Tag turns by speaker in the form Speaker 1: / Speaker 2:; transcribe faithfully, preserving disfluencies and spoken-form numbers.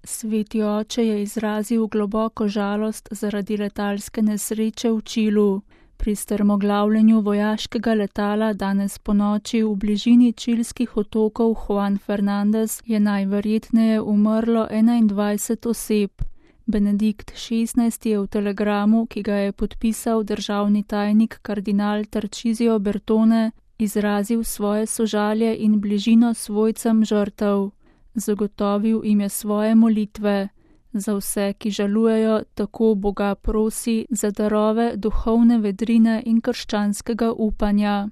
Speaker 1: Sveti oče je izrazil globoko žalost zaradi letalske nesreče v Čilu. Pri strmoglavljenju vojaškega letala danes ponoči v bližini čilskih otokov Juan Fernandez je najverjetneje umrlo enaindvajset oseb. Benedikt šestnajsti je v telegramu, ki ga je podpisal državni tajnik kardinal Tarcísio Bertone, izrazil svoje sožalje in bližino svojcem žrtev. Zagotovil jim je svoje molitve. Za vse, ki žalujejo, tako Boga prosi za darove duhovne vedrine in krščanskega upanja.